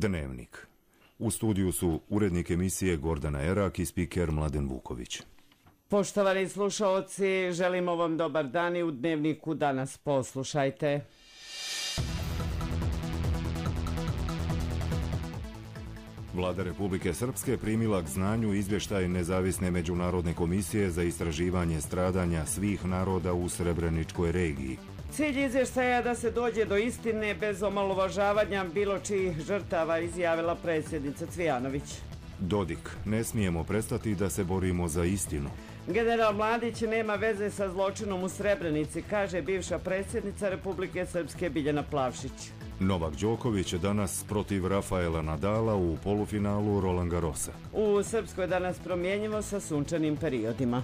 Dnevnik. U studiju su urednik emisije Gordana Erak i spiker Mladen Vuković. Poštovani slušaoci, želimo vam dobar dan i u Dnevniku danas poslušajte. Vlada Republike Srpske primila k znanju izvještaj Nezavisne međunarodne komisije za istraživanje stradanja svih naroda u Srebreničkoj regiji. Cilj izvještaja je da se dođe do istine bez omalovažavanja bilo čijih žrtava, izjavila predsjednica Cvijanović. Dodik, ne smijemo prestati da se borimo za istinu. General Mladić nema veze sa zločinom u Srebrenici, kaže bivša predsjednica Republike Srpske Biljana Plavšić. Novak Đoković danas protiv Rafaela Nadala u polufinalu Roland Garrosa. U Srpskoj danas promjenjivo sa sunčanim periodima.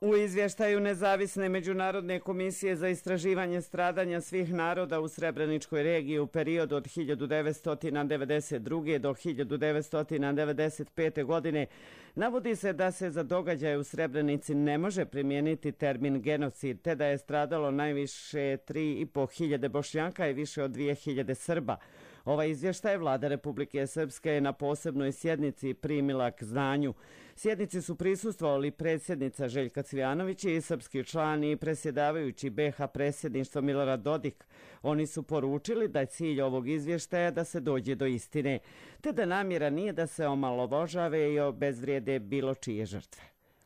U izvještaju Nezavisne međunarodne komisije za istraživanje stradanja svih naroda u Srebreničkoj regiji u periodu od 1992. do 1995. godine navodi se da se za događaje u Srebrenici ne može primijeniti termin genocid, te da je stradalo najviše 3.500 Bošnjaka i više od 2.000 Srba. Ovaj izvještaj Vlada Republike Srpske je na posebnoj sjednici primila k znanju. Sjednici su prisustvovali predsjednica Željka Cvijanović i srpski član i predsjedavajući BiH predsjedništvo Milorad Dodik. Oni su poručili da je cilj ovog izvještaja da se dođe do istine, te da namjera nije da se omalovažave i obezvrijede bilo čije žrtve.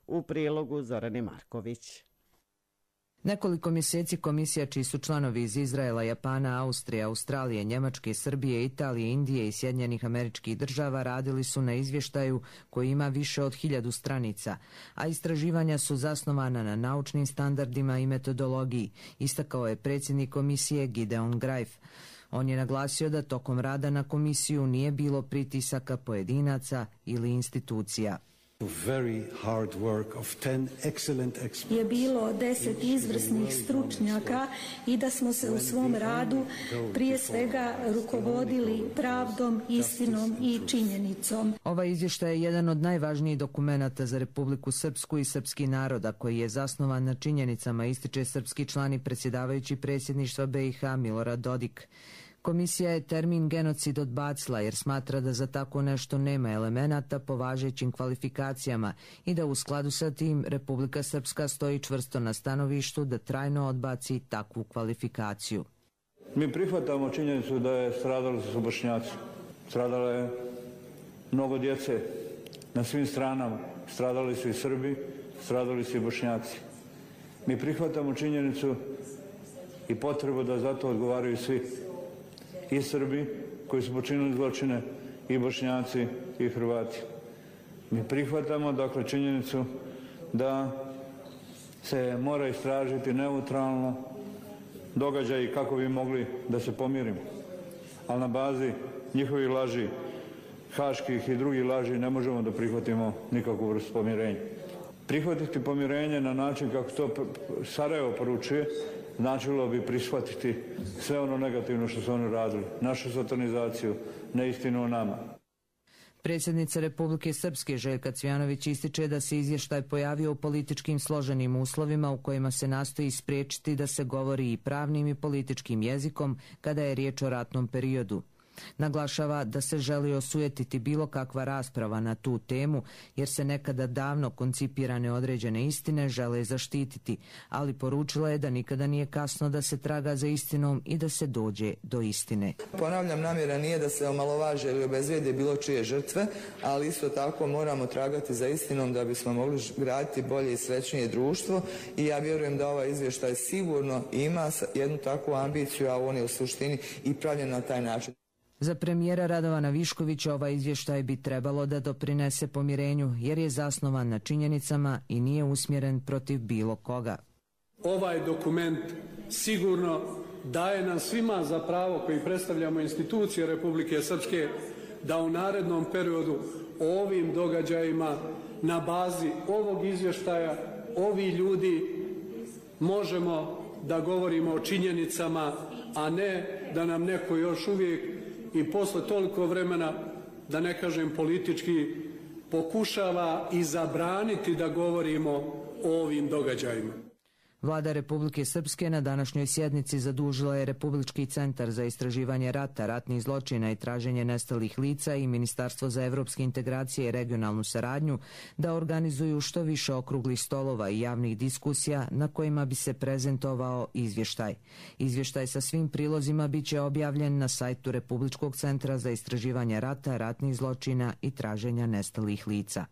U prilogu Zorane Marković. Nekoliko mjeseci komisija čiji su članovi iz Izraela, Japana, Austrije, Australije, Njemačke, Srbije, Italije, Indije i Sjedinjenih Američkih Država radili su na izvještaju koji ima više od 1000 stranica, a istraživanja su zasnovana na naučnim standardima i metodologiji, istakao je predsjednik komisije Gideon Greif. On je naglasio da tokom rada na komisiju nije bilo pritisaka pojedinaca ili institucija. Je bilo 10 izvrsnih stručnjaka i da smo se u svom radu prije svega rukovodili pravdom, istinom i činjenicom. Ovaj izvještaj je jedan od najvažnijih dokumenata za Republiku Srpsku i srpski naroda koji je zasnovan na činjenicama, ističe srpski član i predsjedavajući predsjedništva BiH Milorad Dodik. Komisija je termin genocid odbacila jer smatra da za tako nešto nema elemenata po važećim kvalifikacijama i da u skladu sa tim Republika Srpska stoji čvrsto na stanovištu da trajno odbaci takvu kvalifikaciju. Mi prihvatamo činjenicu da je stradali su Bošnjaci. Stradalo je mnogo djece na svim stranama. Stradali su i Srbi, stradali su i Bošnjaci. Mi prihvatamo činjenicu i potrebu da za to odgovaraju svi. I Srbi koji su počinili zločine, i Bošnjaci i Hrvati. Mi prihvatamo dakle činjenicu da se mora istražiti neutralno događaji kako bi mogli da se pomirimo. Ali na bazi njihovih laži, haških i drugih laži, ne možemo da prihvatimo nikakvu vrstu pomirenja. Prihvatiti pomirenje na način kako to Sarajevo poručuje značilo bi prihvatiti sve ono negativno što su oni radili, našu satanizaciju, neistinu o nama. Predsjednica Republike Srpske Željka Cvijanović ističe da se izvještaj pojavio u političkim složenim uslovima u kojima se nastoji spriječiti da se govori i pravnim i političkim jezikom kada je riječ o ratnom periodu. Naglašava da se želi osujetiti bilo kakva rasprava na tu temu jer se nekada davno koncipirane određene istine žele zaštititi, ali poručila je da nikada nije kasno da se traga za istinom i da se dođe do istine. Ponavljam, namjera nije da se omalovaže ili obezvrijede bilo čije žrtve, ali isto tako moramo tragati za istinom da bismo mogli graditi bolje i srećnije društvo i ja vjerujem da ovaj izvještaj sigurno ima jednu takvu ambiciju, a on je u suštini i pravljen na taj način. Za premijera Radovana Viškovića ovaj izvještaj bi trebalo da doprinese pomirenju jer je zasnovan na činjenicama i nije usmjeren protiv bilo koga. Ovaj dokument sigurno daje nam svima za pravo koji predstavljamo institucije Republike Srpske da u narednom periodu o ovim događajima na bazi ovog izvještaja ovi ljudi možemo da govorimo o činjenicama, a ne da nam neko još uvijek i posle toliko vremena, da ne kažem politički, pokušava i zabraniti da govorimo o ovim događajima. Vlada Republike Srpske na današnjoj sjednici zadužila je Republički centar za istraživanje rata, ratnih zločina i traženje nestalih lica i Ministarstvo za evropske integracije i regionalnu saradnju da organizuju što više okruglih stolova i javnih diskusija na kojima bi se prezentovao izvještaj. Izvještaj sa svim prilozima bit će objavljen na sajtu Republičkog centra za istraživanje rata, ratnih zločina i traženja nestalih lica.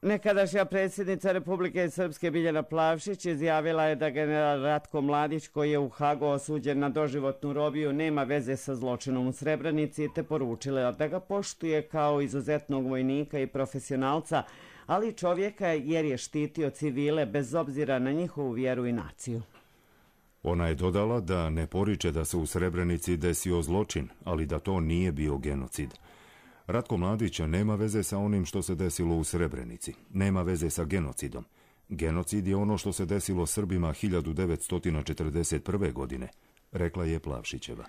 Nekadašnja predsjednica Republike Srpske Biljana Plavšić izjavila je da general Ratko Mladić, koji je u Hagu osuđen na doživotnu robiju, nema veze sa zločinom u Srebrenici, te poručila da ga poštuje kao izuzetnog vojnika i profesionalca, ali čovjeka jer je štitio civile bez obzira na njihovu vjeru i naciju. Ona je dodala da ne poriče da se u Srebrenici desio zločin, ali da to nije bio genocid. Ratko Mladić nema veze sa onim što se desilo u Srebrenici. Nema veze sa genocidom. Genocid je ono što se desilo Srbima 1941. godine, rekla je Plavšićeva.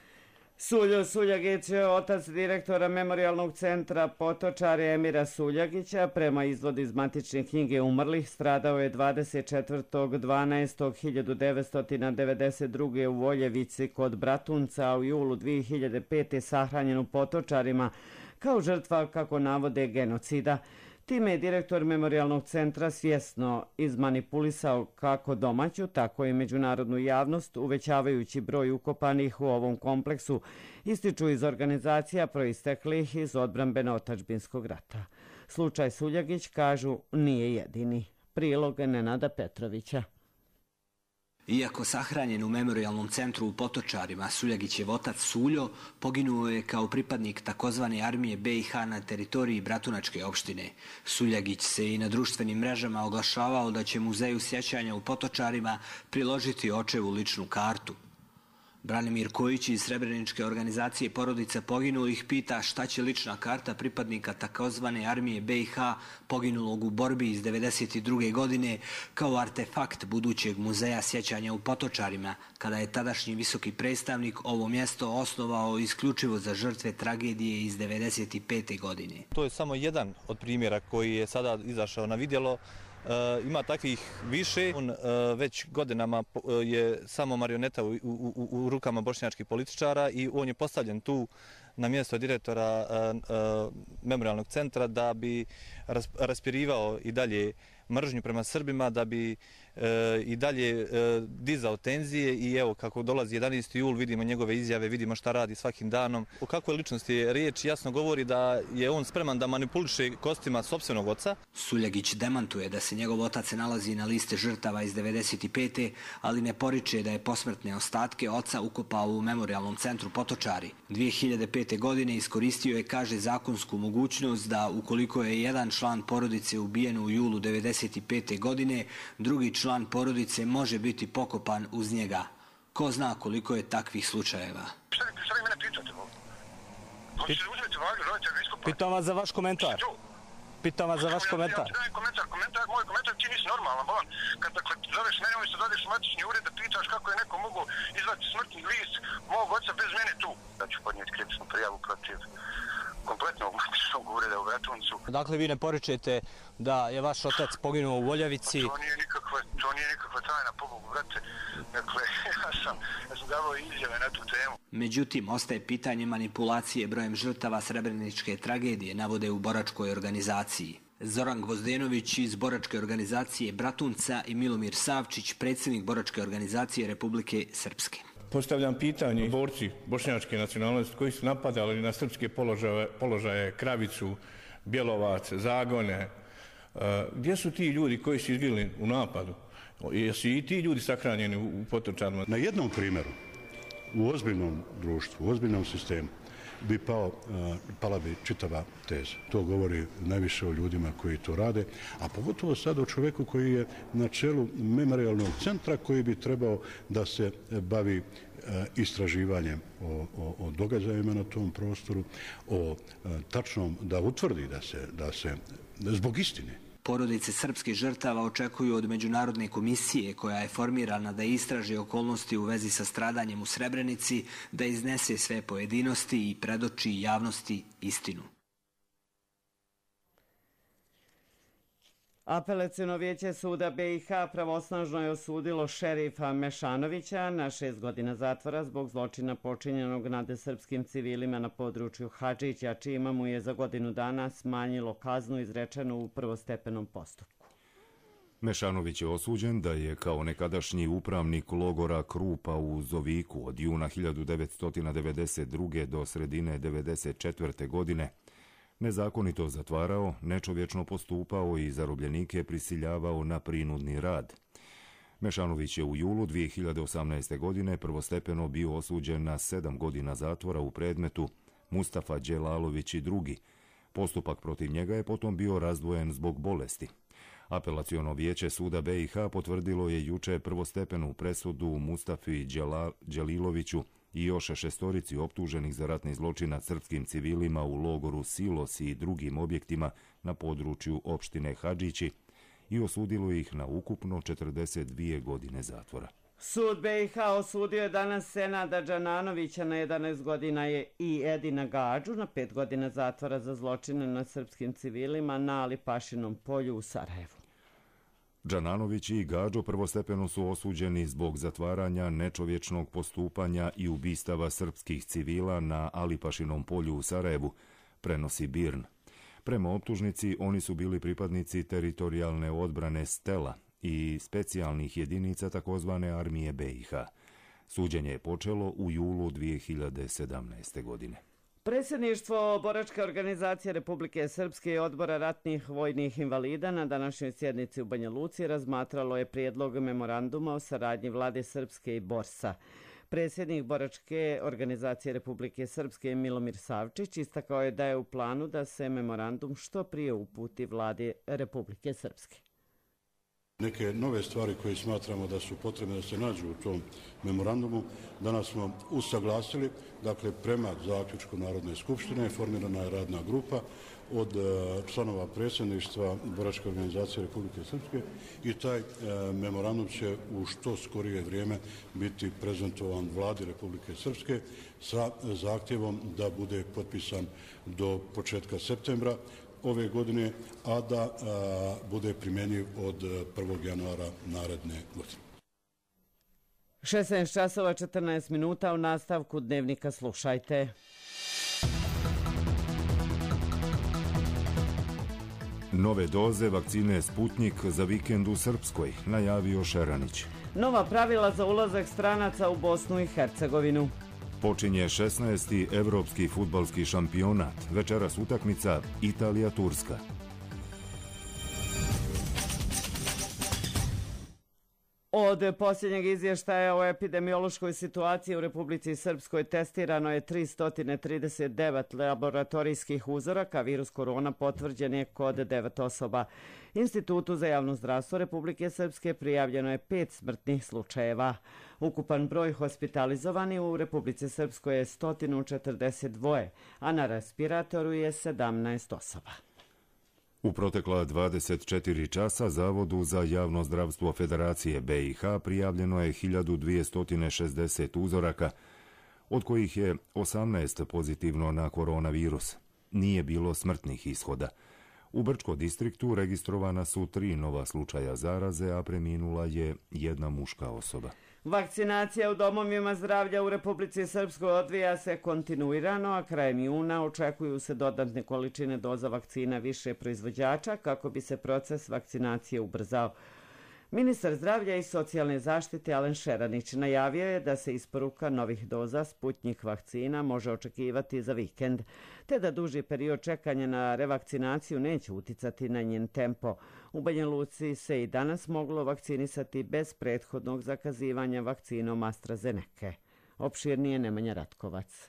Suljo Suljagić, otac direktora Memorijalnog centra Potočari Emira Suljagića, prema izvodu iz matične knjige umrlih, stradao je 24.12.1992. u Voljevici kod Bratunca, a u julu 2005. sahranjen u Potočarima kao žrtva, kako navode, genocida. Time je direktor Memorijalnog centra svjesno izmanipulisao kako domaću, tako i međunarodnu javnost, uvećavajući broj ukopanih u ovom kompleksu, ističu iz organizacija proisteklih iz odbrambeno-otadžbinskog rata. Slučaj Suljagić, kažu, nije jedini. Prilog Nenada Petrovića. Iako sahranjen u Memorijalnom centru u Potočarima, Suljagićev otac Suljo poginuo je kao pripadnik takozvane armije BiH na teritoriji Bratunačke opštine. Suljagić se i na društvenim mrežama oglašavao da će Muzeju sjećanja u Potočarima priložiti očevu ličnu kartu. Branimir Kojić iz Srebreničke organizacije porodica poginulih pita šta će lična karta pripadnika takozvane armije BiH poginulog u borbi iz 1992. godine kao artefakt budućeg muzeja sjećanja u Potočarima, kada je tadašnji visoki predstavnik ovo mjesto osnovao isključivo za žrtve tragedije iz 1995. godine. To je samo jedan od primjera koji je sada izašao na vidjelo. Ima takvih više. On već godinama je samo marioneta u rukama bošnjačkih političara i on je postavljen tu na mjesto direktora Memorijalnog centra da bi raspirivao i dalje mržnju prema Srbima, da bi i dalje dizao tenzije i evo kako dolazi 11. jul, vidimo njegove izjave, vidimo šta radi svakim danom. O kakvoj ličnosti je riječ jasno govori da je on spreman da manipuliše kostima sopstvenog oca. Suljagić demantuje da se njegov otac se nalazi na liste žrtava iz 1995. ali ne poriče da je posmrtne ostatke oca ukopao u Memorijalnom centru Potočari. 2005. godine iskoristio je, kaže, zakonsku mogućnost da ukoliko je jedan član porodice ubijen u julu 1995. godine, drugi član porodice može biti pokopan uz njega. Ko zna koliko je takvih slučajeva. Šta vi mene pitate? Pitam vas za vaš komentar. Moj komentar, ti nisi normalan, bolan. Kad zoveš mene, umjesto da odeš u matični ured da pitaš kako je neko mogu izvati smrtni list mog oca bez mene tu. Da ću podnijeti krivičnu prijavu protiv kompletnog matičnog ureda u Bratuncu. Dakle, vi ne poričete da je vaš otac poginuo u Voljevici? To nije nikakva tajna, pobogu, brate. Dakle, ja sam davao izjave na tu temu. Međutim, ostaje pitanje manipulacije brojem žrtava Srebreničke tragedije, navode u boračkoj organizaciji. Zoran Gvozdenović iz boračke organizacije Bratunca i Milomir Savčić, predsjednik boračke organizacije Republike Srpske. Postavljam pitanje borci bošnjačke nacionalnosti koji su napadali na srpske položaje Kravicu, Bjelovac, Zagone. Gdje su ti ljudi koji su izginuli u napadu? Jesu i ti ljudi sahranjeni u Potočarima? Na jednom primjeru, u ozbiljnom društvu, u ozbiljnom sistemu, bi pala bi čitava teza. To govori najviše o ljudima koji to rade, a pogotovo sad o čovjeku koji je na čelu Memorijalnog centra koji bi trebao da se bavi istraživanjem o događajima na tom prostoru, o tačnom da utvrdi da se zbog istine. Porodice srpskih žrtava očekuju od Međunarodne komisije, koja je formirana da istraži okolnosti u vezi sa stradanjem u Srebrenici, da iznese sve pojedinosti i predoči javnosti istinu. Apelaciono vijeće suda BiH pravosnažno je osudilo šerifa Mešanovića na 6 godina zatvora zbog zločina počinjenog nad srpskim civilima na području Hadžića, čime mu je za godinu dana smanjilo kaznu izrečenu u prvostepenom postupku. Mešanović je osuđen da je kao nekadašnji upravnik logora Krupa u Zoviku od juna 1992. do sredine 1994. godine nezakonito zatvarao, nečovječno postupao i zarobljenike prisiljavao na prinudni rad. Mešanović je u julu 2018. godine prvostepeno bio osuđen na 7 godina zatvora u predmetu Mustafa Đelalović i drugi. Postupak protiv njega je potom bio razdvojen zbog bolesti. Apelaciono vijeće suda BiH potvrdilo je juče prvostepenu presudu Mustafi Đeliloviću i još 6 optuženih za ratni zločin nad srpskim civilima u logoru Silos i drugim objektima na području opštine Hadžići i osudilo ih na ukupno 42 godine zatvora. Sud BiH osudio je danas Senada Džananovića na 11 godina i Edina Gađu na 5 godina zatvora za zločine nad srpskim civilima na Alipašinom polju u Sarajevu. Džananović i Gađo prvostepeno su osuđeni zbog zatvaranja, nečovječnog postupanja i ubistava srpskih civila na Alipašinom polju u Sarajevu, prenosi BIRN. Prema optužnici, oni su bili pripadnici teritorijalne odbrane Stela i specijalnih jedinica takozvane armije BiH. Suđenje je počelo u julu 2017. godine. Predsjedništvo Boračke organizacije Republike Srpske i Odbora ratnih vojnih invalida na današnjoj sjednici u Banja Luci razmatralo je prijedlog memoranduma o saradnji Vlade Srpske i Borsa. Predsjednik Boračke organizacije Republike Srpske Milomir Savčić istakao je da je u planu da se memorandum što prije uputi Vladi Republike Srpske. Neke nove stvari koje smatramo da su potrebne da se nađu u tom memorandumu, danas smo usaglasili, dakle prema zaključku Narodne skupštine formirana je radna grupa od članova predsjedništva Boračke organizacije Republike Srpske i taj memorandum će u što skorije vrijeme biti prezentovan Vladi Republike Srpske sa zahtjevom da bude potpisan do početka septembra ove godine, a da bude primjenjiv od 1. januara naredne godine. 16 časova 14 minuta u nastavku Dnevnika slušajte. Nove doze vakcine Sputnjik za vikend u Srpskoj, najavio Šeranić. Nova pravila za ulazak stranaca u Bosnu i Hercegovinu. Počinje 16. evropski fudbalski šampionat. Večeras utakmica Italija-Turska. Od posljednjeg izvještaja o epidemiološkoj situaciji u Republici Srpskoj testirano je 339 laboratorijskih uzoraka. Virus korona potvrđen je kod 9 osoba. Institutu za javno zdravstvo Republike Srpske prijavljeno je 5 smrtnih slučajeva. Ukupan broj hospitalizovani u Republici Srpskoj je 142, a na respiratoru je 17 osoba. U protekla 24 časa Zavodu za javno zdravstvo Federacije BiH prijavljeno je 1260 uzoraka, od kojih je 18 pozitivno na koronavirus. Nije bilo smrtnih ishoda. U Brčko distriktu registrovana su 3 nova slučaja zaraze, a preminula je jedna muška osoba. Vakcinacija u domovima zdravlja u Republici Srpskoj odvija se kontinuirano, a krajem juna očekuju se dodatne količine doza vakcina više proizvođača kako bi se proces vakcinacije ubrzao. Ministar zdravlja i socijalne zaštite Alen Šeranić najavio je da se isporuka novih doza Sputnjik vakcina može očekivati za vikend, te da duži period čekanja na revakcinaciju neće uticati na njen tempo. U Banja Luci se i danas moglo vakcinisati bez prethodnog zakazivanja vakcinom AstraZeneca. Opširnije Nemanja Ratkovac.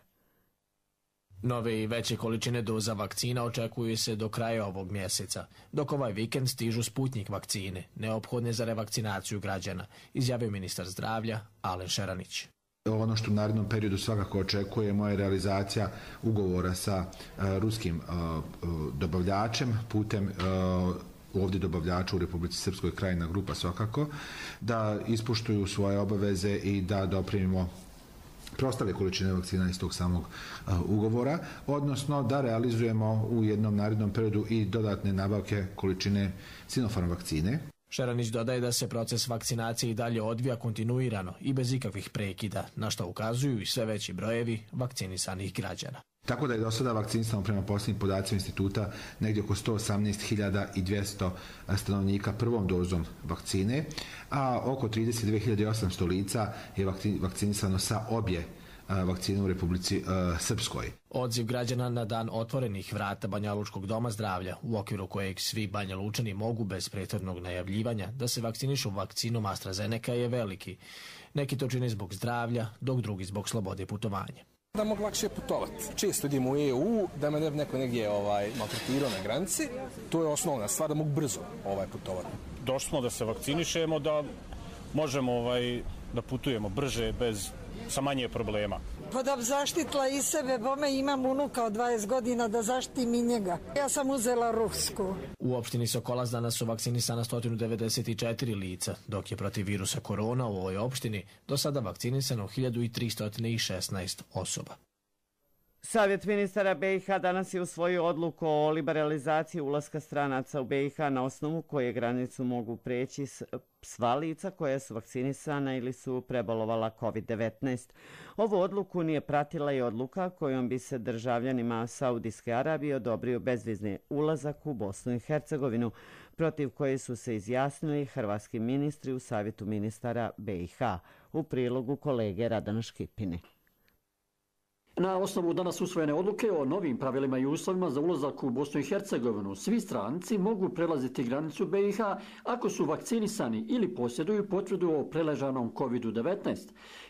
Nove i veće količine doza vakcina očekuju se do kraja ovog mjeseca, dok ovaj vikend stižu Sputnjik vakcine, neophodne za revakcinaciju građana, izjavio ministar zdravlja Alen Šeranić. Ono što u narednom periodu svakako očekujemo je realizacija ugovora sa ruskim dobavljačem putem ovdje dobavljača u Republici Srpskoj, Krajina grupa svakako, da ispoštuju svoje obaveze i da doprinimo preostale količine vakcina iz tog samog ugovora, odnosno da realizujemo u jednom narednom periodu i dodatne nabavke količine Sinopharm vakcine. Šeranić dodaje da se proces vakcinacije i dalje odvija kontinuirano i bez ikakvih prekida, na što ukazuju i sve veći brojevi vakcinisanih građana. Tako da je do sada vakcinisano prema posljednjim podacima instituta negdje oko 118.200 stanovnika prvom dozom vakcine, a oko 32.800 lica je vakcinisano sa obje vakcine u Republici Srpskoj. Odziv građana na dan otvorenih vrata Banjalučkog doma zdravlja, u okviru kojeg svi Banjalučani mogu bez prethodnog najavljivanja da se vakcinišu vakcinom AstraZeneca je veliki. Neki to čine zbog zdravlja, dok drugi zbog slobode putovanja. Da mogu lakše putovati. Često idemo u EU, da me neko negdje maltretirao na granici. To je osnovna stvar, da mogu brzo putovati. Došli smo da se vakcinišemo, da možemo da putujemo brže, sa manje problema. Pa da bi zaštitila i sebe, bome imam unuka od 20 godina da zaštitim i njega. Ja sam uzela rusku. U opštini Sokolac danas su vakcinisana 194 lica, dok je protiv virusa korona u ovoj opštini do sada vakcinisano 1316 osoba. Savjet ministara BiH danas je usvojio odluku o liberalizaciji ulaska stranaca u BiH na osnovu koje granicu mogu preći sva lica koja su vakcinisana ili su prebolovala COVID-19. Ovu odluku nije pratila i odluka kojom bi se državljanima Saudijske Arabije odobrio bezvizni ulazak u Bosnu i Hercegovinu, protiv koje su se izjasnili hrvatski ministri u Savjetu ministara BiH. U prilogu kolege Radana Škipine. Na osnovu danas usvojene odluke o novim pravilima i uslovima za ulazak u Bosnu i Hercegovinu, svi stranci mogu prelaziti granicu BiH ako su vakcinisani ili posjeduju potvrdu o preležanom COVID-19.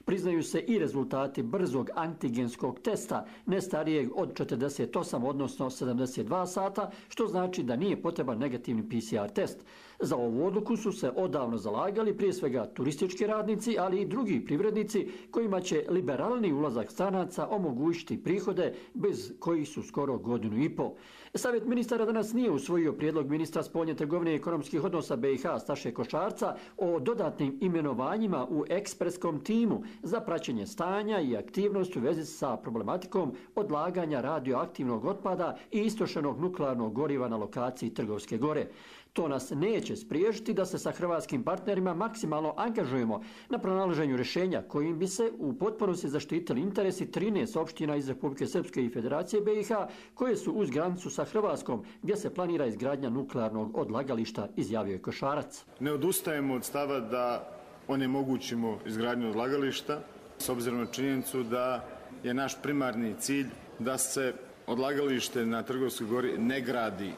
Priznaju se i rezultati brzog antigenskog testa, ne starijeg od 48, odnosno 72 sata, što znači da nije potreban negativni PCR test. Za ovu odluku su se odavno zalagali prije svega turistički radnici, ali i drugi privrednici kojima će liberalni ulazak stranaca omogućiti prihode bez kojih su skoro godinu i pol. Savjet ministara danas nije usvojio prijedlog ministra spoljne trgovine i ekonomskih odnosa BiH Staše Košarca o dodatnim imenovanjima u ekspreskom timu za praćenje stanja i aktivnosti u vezi sa problematikom odlaganja radioaktivnog otpada i istrošenog nuklearnog goriva na lokaciji Trgovske gore. To nas neće spriječiti da se sa hrvatskim partnerima maksimalno angažujemo na pronalaženju rješenja kojim bi se u potpunosti zaštitili interesi 13 opština iz Republike Srpske i Federacije BiH koje su uz granicu sa Hrvatskom gdje se planira izgradnja nuklearnog odlagališta, izjavio je Košarac. Ne odustajemo od stava da onemogućimo izgradnju odlagališta s obzirom na činjenicu da je naš primarni cilj da se odlagalište na Trgovskoj gori ne gradi.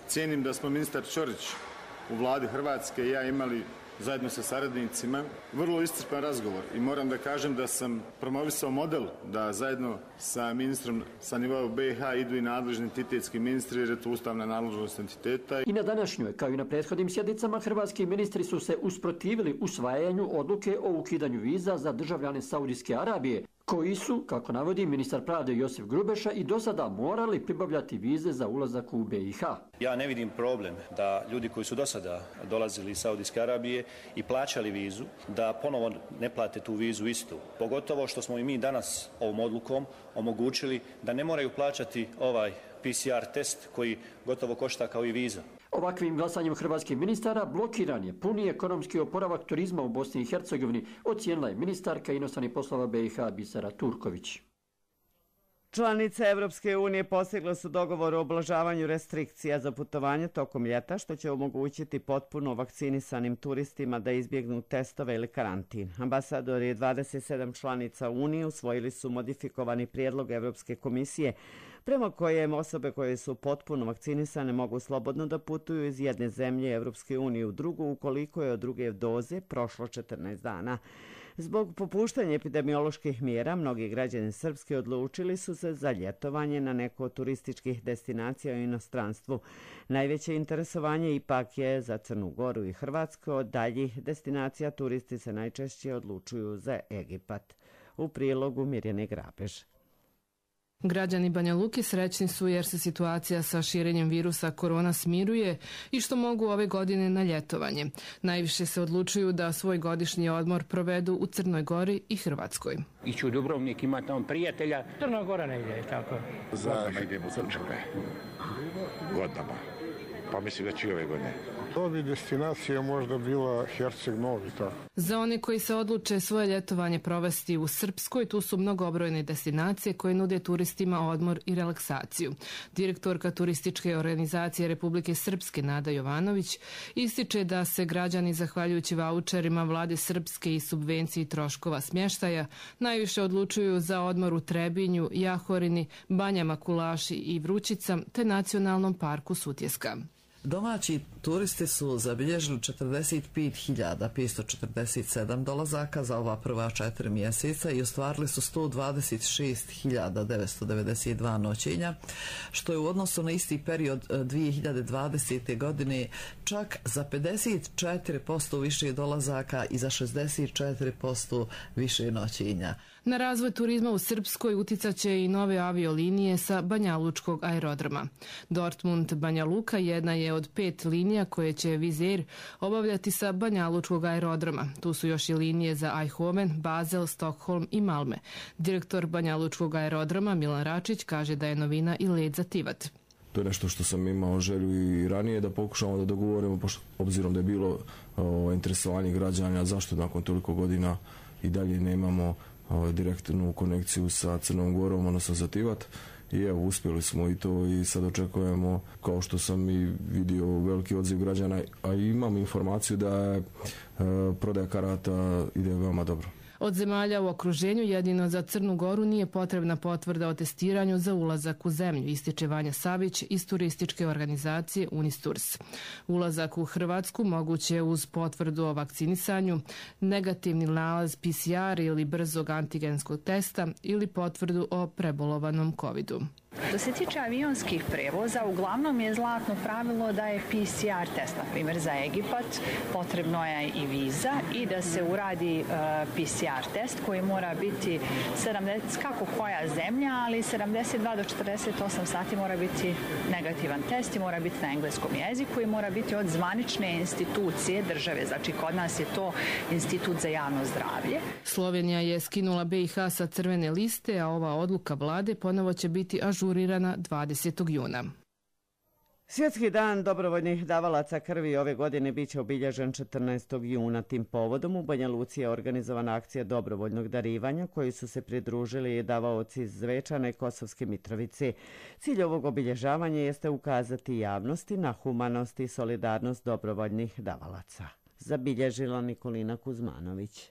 Cijenim da smo ministar Ćorić u vladi Hrvatske i ja imali zajedno sa saradnicima vrlo iscrpan razgovor i moram da kažem da sam promovisao model da zajedno sa ministrom sa nivoa BiH idu i nadležni entitetski ministri jer je to ustavna nadležnost entiteta. I na današnjoj, kao i na prethodnim sjednicama, hrvatski ministri su se usprotivili usvajanju odluke o ukidanju viza za državljane Saudijske Arabije, koji su, kako navodi ministar pravde Josip Grubeša, i do sada morali pribavljati vize za ulazak u BiH. Ja ne vidim problem da ljudi koji su do sada dolazili iz Saudijske Arabije i plaćali vizu, da ponovo ne plate tu vizu istu. Pogotovo što smo i mi danas ovom odlukom omogućili da ne moraju plaćati ovaj PCR test koji gotovo košta kao i viza. Ovakvim glasanjem hrvatskih ministara blokiran je puni ekonomski oporavak turizma u Bosni i Hercegovini, ocijenila je ministarka inostranih poslova BiH Bisera Turković. Članice Evropske unije postigle su dogovor o oblažavanju restrikcija za putovanje tokom ljeta, što će omogućiti potpuno vakcinisanim turistima da izbjegnu testove ili karantin. Ambasadori 27 članica Unije usvojili su modifikovani prijedlog Evropske komisije prema kojem osobe koje su potpuno vakcinisane mogu slobodno da putuju iz jedne zemlje Evropske unije u drugu ukoliko je od druge doze prošlo 14 dana. Zbog popuštanja epidemioloških mjera, mnogi građani Srpske odlučili su se za ljetovanje na neko od turističkih destinacija u inostranstvu. Najveće interesovanje ipak je za Crnu Goru i Hrvatsku. Od daljih destinacija turisti se najčešće odlučuju za Egipat. U prilogu Mirjane Grabež. Građani Banja Luke srećni su jer se situacija sa širenjem virusa korona smiruje i što mogu ove godine na ljetovanje. Najviše se odlučuju da svoj godišnji odmor provedu u Crnoj Gori i Hrvatskoj. Iću u Dubrovnik, ima tamo prijatelja. Crna Gora ne ide, tako. Godinama idemo u Crčave. Godinama. Pa mislim da će i ove godine. To bi destinacija možda bila Herceg Novi. Za one koji se odluče svoje ljetovanje provesti u Srpskoj, tu su mnogobrojne destinacije koje nude turistima odmor i relaksaciju. Direktorka turističke organizacije Republike Srpske Nada Jovanović ističe da se građani, zahvaljujući vaučerima vlade Srpske i subvenciji troškova smještaja, najviše odlučuju za odmor u Trebinju, Jahorini, Banjama Kulaši i Vrućica te Nacionalnom parku Sutjeska. Domaći turisti su zabilježili 45.547 dolazaka za ova prva 4 mjeseca i ostvarili su 126.992 noćenja, što je u odnosu na isti period 2020. godine čak za 54% više dolazaka i za 64% više noćenja. Na razvoj turizma u Srpskoj uticat će i nove aviolinije sa Banjalučkog aerodroma. Dortmund Banja Luka jedna je od 5 linija koje će Wizz Air obavljati sa Banjalučkog aerodroma. Tu su još i linije za Eindhoven, Basel, Stockholm i Malme. Direktor Banjalučkog aerodroma Milan Račić kaže da je novina i let za Tivat. To je nešto što sam imao želju i ranije da pokušamo da dogovorimo, obzirom da je bilo interesovanje građana zašto nakon toliko godina i dalje nemamo direktnu konekciju sa Crnom Gorom, odnosno za Tivat. I evo, uspjeli smo i to i sad očekujemo, kao što sam i vidio, veliki odziv građana, a imam informaciju da je prodaja karata ide veoma dobro. Od zemalja u okruženju jedino za Crnu Goru nije potrebna potvrda o testiranju za ulazak u zemlju, ističe Vanja Savić iz turističke organizacije Unisturs. Ulazak u Hrvatsku moguće uz potvrdu o vakcinisanju, negativni nalaz PCR ili brzog antigenskog testa ili potvrdu o prebolovanom covidu. Što se tiče avionskih prevoza, uglavnom je zlatno pravilo da je PCR test, na primjer za Egipat, potrebno je i viza i da se uradi PCR test koji mora biti 70, kako koja zemlja, ali 72 do 48 sati mora biti negativan test i mora biti na engleskom jeziku i mora biti od zvanične institucije države, znači kod nas je to Institut za javno zdravlje. Slovenija je skinula BiH sa crvene liste, a ova odluka vlade ponovo će biti ažurirana 20. juna. Svjetski dan dobrovoljnih davalaca krvi ove godine biće obilježen 14. juna. Tim povodom u Banja Luci je organizovana akcija dobrovoljnog darivanja koji su se pridružili davaoci iz Zvečana i Kosovske Mitrovice. Cilj ovog obilježavanja jeste ukazati javnosti na humanost i solidarnost dobrovoljnih davalaca. Zabilježila Nikolina Kuzmanović.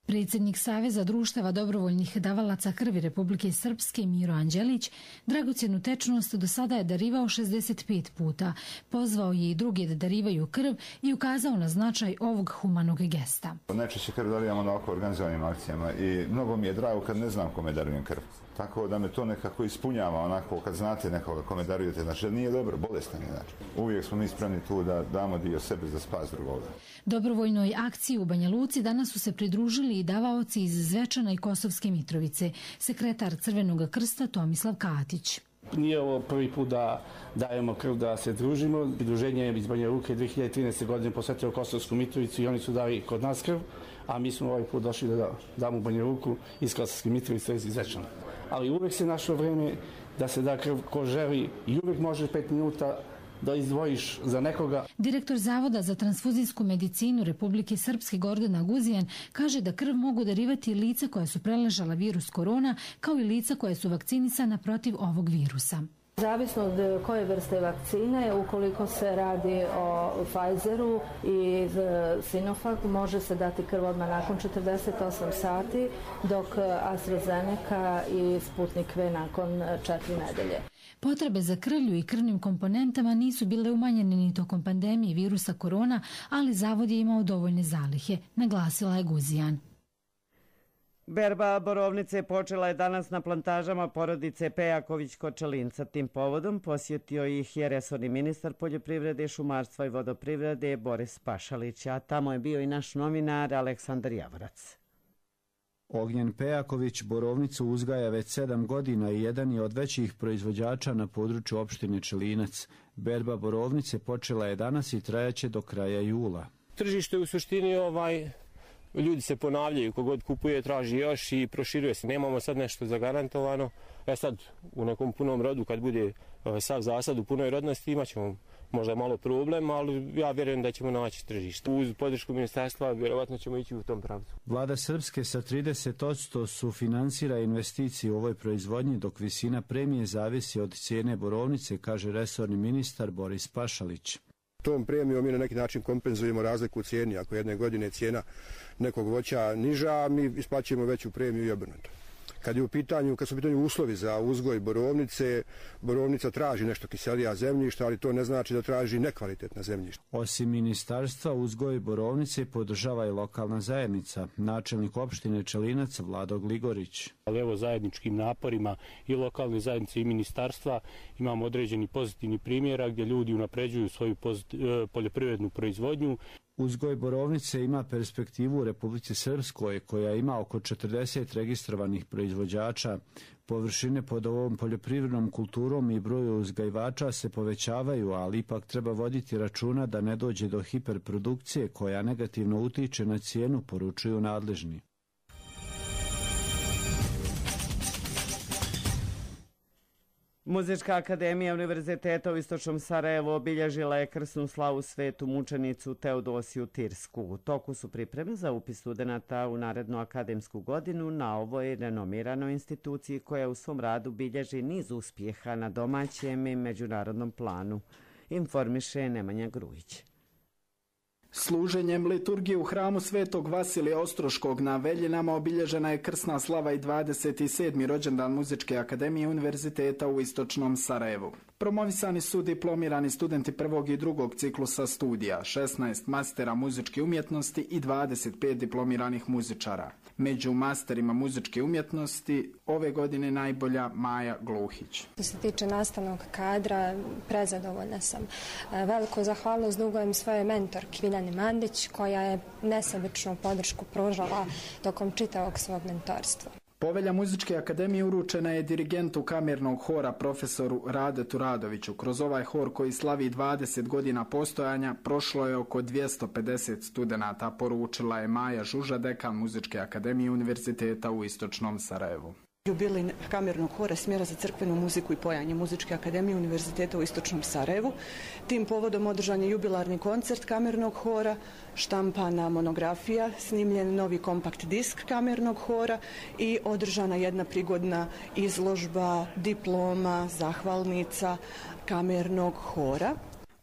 Predsjednik Saveza društava dobrovoljnih davalaca krvi Republike Srpske Miro Anđelić dragocjenu tečnost do sada je darivao 65 puta. Pozvao je i druge da darivaju krv i ukazao na značaj ovog humanog gesta. Najčešće krv darivamo na ovako organizovanim akcijama i mnogo mi je drago kad ne znam kome darujem krv. Tako da me to nekako ispunjava, onako kad znate nekoga kome darujete, znači da nije dobro, bolestan je. Znači. Uvijek smo mi spremni tu da damo dio sebe za spas drugoga. Dobrovoljnoj akciji u Banja Luci danas su se pridružili i davaoci iz Zvečana i Kosovske Mitrovice, sekretar Crvenog krsta Tomislav Katić. Nije ovo prvi put da dajemo krv, da se družimo. Pridruženje iz Banja Luke 2013. godine posvetilo Kosovsku Mitrovicu i oni su dali kod nas krv, a mi smo ovaj put došli da damo Banja Luku iz Kosovske Mitrovice iz Zvečana. Ali uvijek se našlo vrijeme da se da krv ko želi i uvijek može 5 minuta da izdvojiš za nekoga. Direktor Zavoda za transfuzijsku medicinu Republike Srpske Gordana Guzijan kaže da krv mogu darivati lica koja su preležala virus korona, kao i lica koja su vakcinisana protiv ovog virusa. Zavisno od koje vrste vakcine, ukoliko se radi o Pfizeru i Sinovac, može se dati krv odmah nakon 48 sati, dok AstraZeneca i Sputnik V nakon 4 nedelje. Potrebe za krvlju i krvnim komponentama nisu bile umanjene ni tokom pandemije virusa korona, ali zavod je imao dovoljne zalihe, naglasila je Guzijan. Berba borovnice počela je danas na plantažama porodice Pejaković kod Čelinca. Tim povodom posjetio ih je resorni ministar poljoprivrede, šumarstva i vodoprivrede Boris Pašalić, a tamo je bio i naš novinar Aleksandar Javorac. Ognjen Pejaković borovnicu uzgaja već 7 godina i jedan je od većih proizvođača na području opštine Čelinac. Berba borovnice počela je danas i trajaće do kraja jula. Tržište u suštini ljudi se ponavljaju, kogod kupuje traži još i proširuje se. Nemamo sad nešto zagarantovano. Sad u nekom punom rodu kad bude sav zasad u punoj rodnosti imat ćemo možda malo problem, ali ja vjerujem da ćemo naći tržište. Uz podršku ministarstva vjerovatno ćemo ići u tom pravcu. Vlada Srpske sa 30% sufinansira investicije u ovoj proizvodnji, dok visina premije zavisi od cijene borovnice, kaže resorni ministar Boris Pašalić. Tom premijom mi na neki način kompenzujemo razliku u cijeni. Ako jedne godine cijena nekog voća niža, mi isplaćujemo veću premiju i obrnuto. Kad su u pitanju uslovi za uzgoj borovnice, borovnica traži nešto kiselija zemljišta, ali to ne znači da traži nekvalitetna zemljišta. Osim ministarstva, uzgoj borovnice podržava i lokalna zajednica. Načelnik opštine Čelinac Vlado Gligorić. Ali evo zajedničkim naporima i lokalne zajednice i ministarstva imamo određeni pozitivni primjera gdje ljudi unapređuju svoju poljoprivrednu proizvodnju. Uzgoj borovnice ima perspektivu u Republici Srpskoj, koja ima oko 40 registrovanih proizvođača. Površine pod ovom poljoprivrednom kulturom i broju uzgajivača se povećavaju, ali ipak treba voditi računa da ne dođe do hiperprodukcije koja negativno utiče na cijenu, poručuju nadležni. Muzička akademija Univerziteta u Istočnom Sarajevu obilježila je krsnu slavu svetu mučenicu Teodosiju Tirsku. U toku su pripreme za upis studenata u narednu akademsku godinu na ovoj renomiranoj instituciji koja u svom radu bilježi niz uspjeha na domaćem i međunarodnom planu, informiše Nemanja Grujić. Služenjem liturgije u hramu Svetog Vasilija Ostroškog na Veljinama obilježena je krsna slava i 27. rođendan Muzičke akademije Univerziteta u Istočnom Sarajevu. Promovisani su diplomirani studenti prvog i drugog ciklusa studija, 16 mastera muzičke umjetnosti i 25 diplomiranih muzičara. Među masterima muzičke umjetnosti ove godine najbolja Maja Gluhić. Što se tiče nastavnog kadra, prezadovoljna sam. Veliku zahvalnost dugujem svojoj mentorki Biljani Mandić, koja je nesebičnu podršku pružala tokom čitavog svog mentorstva. Povelja Muzičke akademije uručena je dirigentu kamernog hora profesoru Radetu Radoviću. Kroz ovaj hor koji slavi 20 godina postojanja prošlo je oko 250 studenata, poručila je Maja Žuža, dekan Muzičke akademije Univerziteta u Istočnom Sarajevu. Jubilej kamernog hora smjera za crkvenu muziku i pojanje Muzičke akademije Univerziteta u Istočnom Sarajevu. Tim povodom održan je jubilarni koncert kamernog hora, štampana monografija, snimljen novi kompakt disk kamernog hora i održana jedna prigodna izložba diploma, zahvalnica kamernog hora.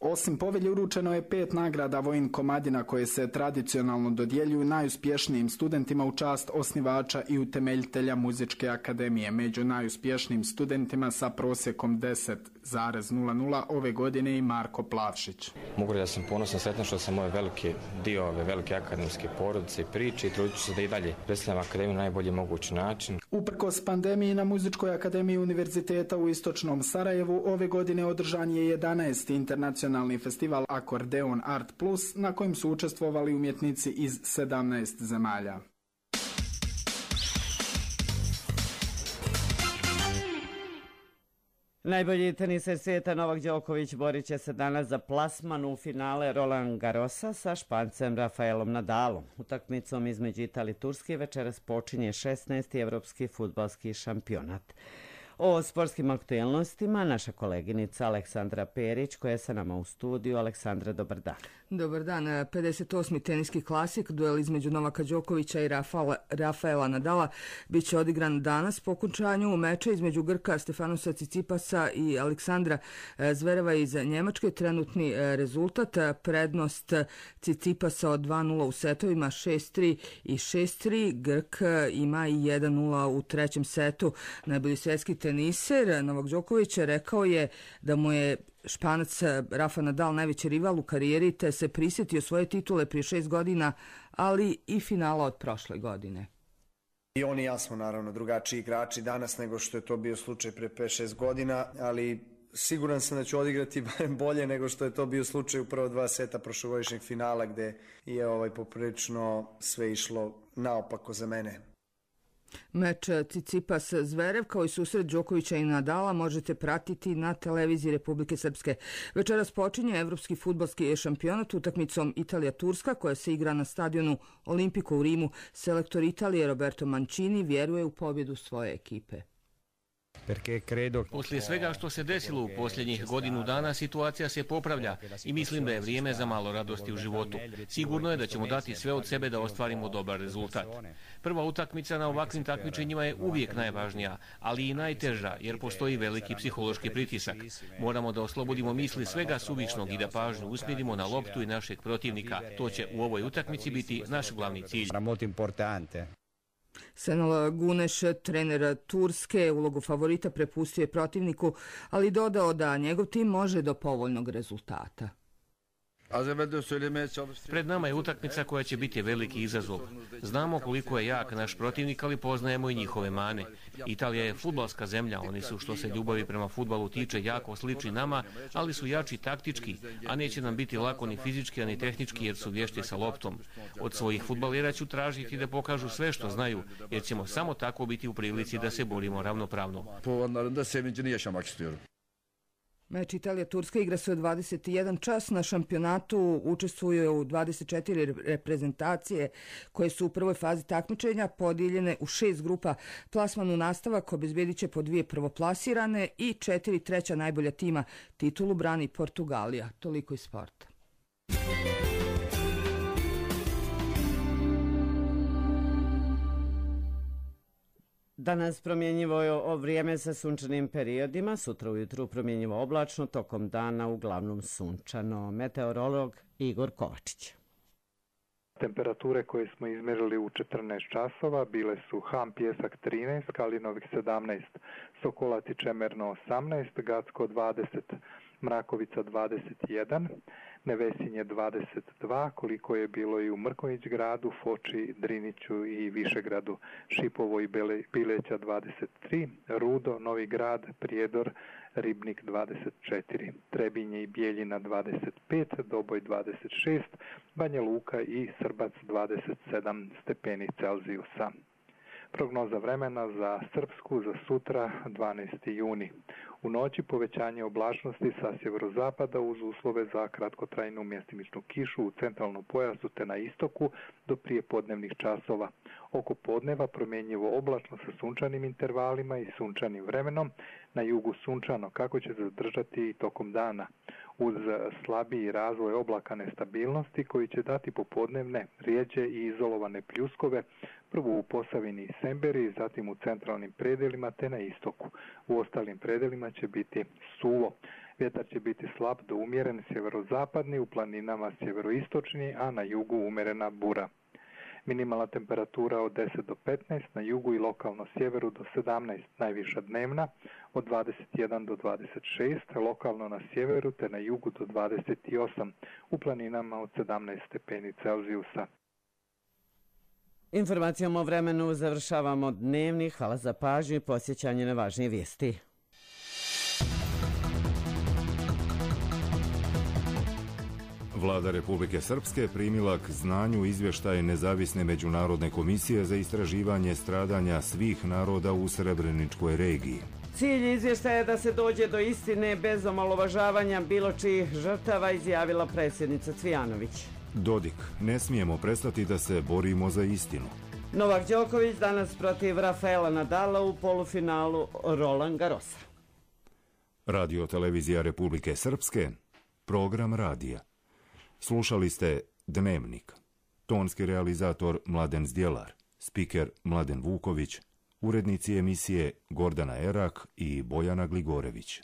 Osim povelje uručeno je 5 nagrada Vojin Komadina koje se tradicionalno dodjeljuju najuspješnijim studentima u čast osnivača i utemeljitelja Muzičke akademije. Među najuspješnijim studentima sa prosjekom 10,00 ove godine i Marko Plavšić. Mogu da sam ponosan, sretan što sam ovaj veliki dio ove velike akademske porodice i priče i trudit ću se da i dalje predstavljam akademiju na najbolji mogući način. Uprkos pandemiji na Muzičkoj akademiji Univerziteta u Istočnom Sarajevu ove godine održan je 11. internacionalni festival Akordeon Art Plus na kojem su učestvovali umjetnici iz 17 zemalja. Najbolji teniser svijeta Novak Đoković borit će se danas za plasman u finale Roland Garrosa sa Špancem Rafaelom Nadalom. Utakmicom između Italije i Turske večeras počinje 16. evropski fudbalski šampionat. O sportskim aktuelnostima naša koleginica Aleksandra Perić koja je sa nama u studiju. Aleksandra, dobar dan. Dobar dan. 58. teniski klasik, duel između Novaka Đokovića i Rafaela Nadala bit će odigran danas po okončanju meča između Grka Stefanosa Cicipasa i Aleksandra Zvereva iz Njemačke. Trenutni rezultat, prednost Cicipasa od 2-0 u setovima 6-3 i 6-3. Grk ima i 1-0 u trećem setu. Najbolji svjetski teniser Novak Đoković rekao je da mu je Španac Rafa Nadal najveći rival u karijeri, te se prisjetio svoje titule prije 6 godina, ali i finala od prošle godine. I on i ja smo naravno drugačiji igrači danas nego što je to bio slučaj pre 5-6 godina, ali siguran sam da ću odigrati bolje nego što je to bio slučaj u prva 2 seta prošlogodišnjeg finala gdje je poprilično sve išlo naopako za mene. Meč Tsitsipas-Zverev kao i susret Đokovića i Nadala možete pratiti na televiziji Republike Srpske. Večeras počinje Evropski fudbalski šampionat utakmicom Italija-Turska koja se igra na stadionu Olimpiko u Rimu. Selektor Italije Roberto Mancini vjeruje u pobjedu svoje ekipe. Poslije svega što se desilo u posljednjih godinu dana, situacija se popravlja i mislim da je vrijeme za malo radosti u životu. Sigurno je da ćemo dati sve od sebe da ostvarimo dobar rezultat. Prva utakmica na ovakvim takmičenjima je uvijek najvažnija, ali i najteža jer postoji veliki psihološki pritisak. Moramo da oslobodimo misli svega suvišnog i da pažnju usmjerimo na loptu i našeg protivnika. To će u ovoj utakmici biti naš glavni cilj. Senol Guneš, trener Turske, ulogu favorita prepustio je protivniku, ali dodao da njegov tim može do povoljnog rezultata. Pred nama je utakmica koja će biti veliki izazov. Znamo koliko je jak naš protivnik, ali poznajemo i njihove mane. Italija je fudbalska zemlja, oni su što se ljubavi prema fudbalu tiče jako slični nama, ali su jači taktički, a neće nam biti lako ni fizički, ni tehnički jer su vješti sa loptom. Od svojih fudbalera ću tražiti da pokažu sve što znaju, jer ćemo samo tako biti u prilici da se borimo ravnopravno. Meč Italija-Turska igra se u 21 čas. Na šampionatu učestvuje u 24 reprezentacije koje su u prvoj fazi takmičenja podijeljene u 6 grupa. Plasman u nastavak obezbedit će po 2 prvoplasirane i 4 treća najbolja tima. Titulu brani Portugalija. Toliko iz sporta. Danas promjenjivo je vrijeme sa sunčanim periodima, sutra ujutru promjenjivo oblačno, tokom dana uglavnom sunčano. Meteorolog Igor Kovačić. Temperature koje smo izmjerili u 14 časova bile su Ham Pjesak 13, Kalinovih 17, Sokolac i Čemerno 18, Gacko 20, Mrakovica 21, Nevesinje 22, koliko je bilo i u Mrkonjić gradu, Foči, Driniću i Višegradu, Šipovo i Bileća 23, Rudo, Novi grad, Prijedor, Ribnik 24, Trebinje i Bijeljina 25, Doboj 26, Banja Luka i Srbac 27 stepeni Celzijusa. Prognoza vremena za Srpsku za sutra 12. juni. U noći povećanje oblačnosti sa sjeverozapada uz uslove za kratkotrajnu mjestimičnu kišu u centralnom pojasu te na istoku do prijepodnevnih časova. Oko podneva promjenjivo oblačno sa sunčanim intervalima i sunčanim vremenom, na jugu sunčano kako će se zadržati i tokom dana. Uz slabiji razvoj oblaka nestabilnosti koji će dati popodnevne, rijeđe i izolovane pljuskove, prvo u Posavini i Semberi, zatim u centralnim predelima te na istoku. U ostalim predelima će biti suvo. Vjetar će biti slab do umjeren sjeverozapadni, u planinama sjeveroistočni, a na jugu umjerena bura. Minimalna temperatura od 10 do 15, na jugu i lokalno sjeveru do 17, najviša dnevna od 21 do 26, lokalno na sjeveru te na jugu do 28, u planinama od 17 stepeni Celzijusa. Informacijom o vremenu završavamo dnevni. Hvala za pažnju i posjećanje na važnije vijesti. Vlada Republike Srpske primila k znanju izvještaj Nezavisne međunarodne komisije za istraživanje stradanja svih naroda u Srebreničkoj regiji. Cilj izvještaja je da se dođe do istine bez omalovažavanja bilo čijih žrtava, izjavila predsjednica Cvijanović. Dodik, ne smijemo prestati da se borimo za istinu. Novak Đoković danas protiv Rafaela Nadala u polufinalu Roland Garrosa. Radio Televizija Republike Srpske, program radija. Slušali ste Dnevnik. Tonski realizator Mladen Zdjelar, spiker Mladen Vuković, urednici emisije Gordana Erak i Bojana Gligorević.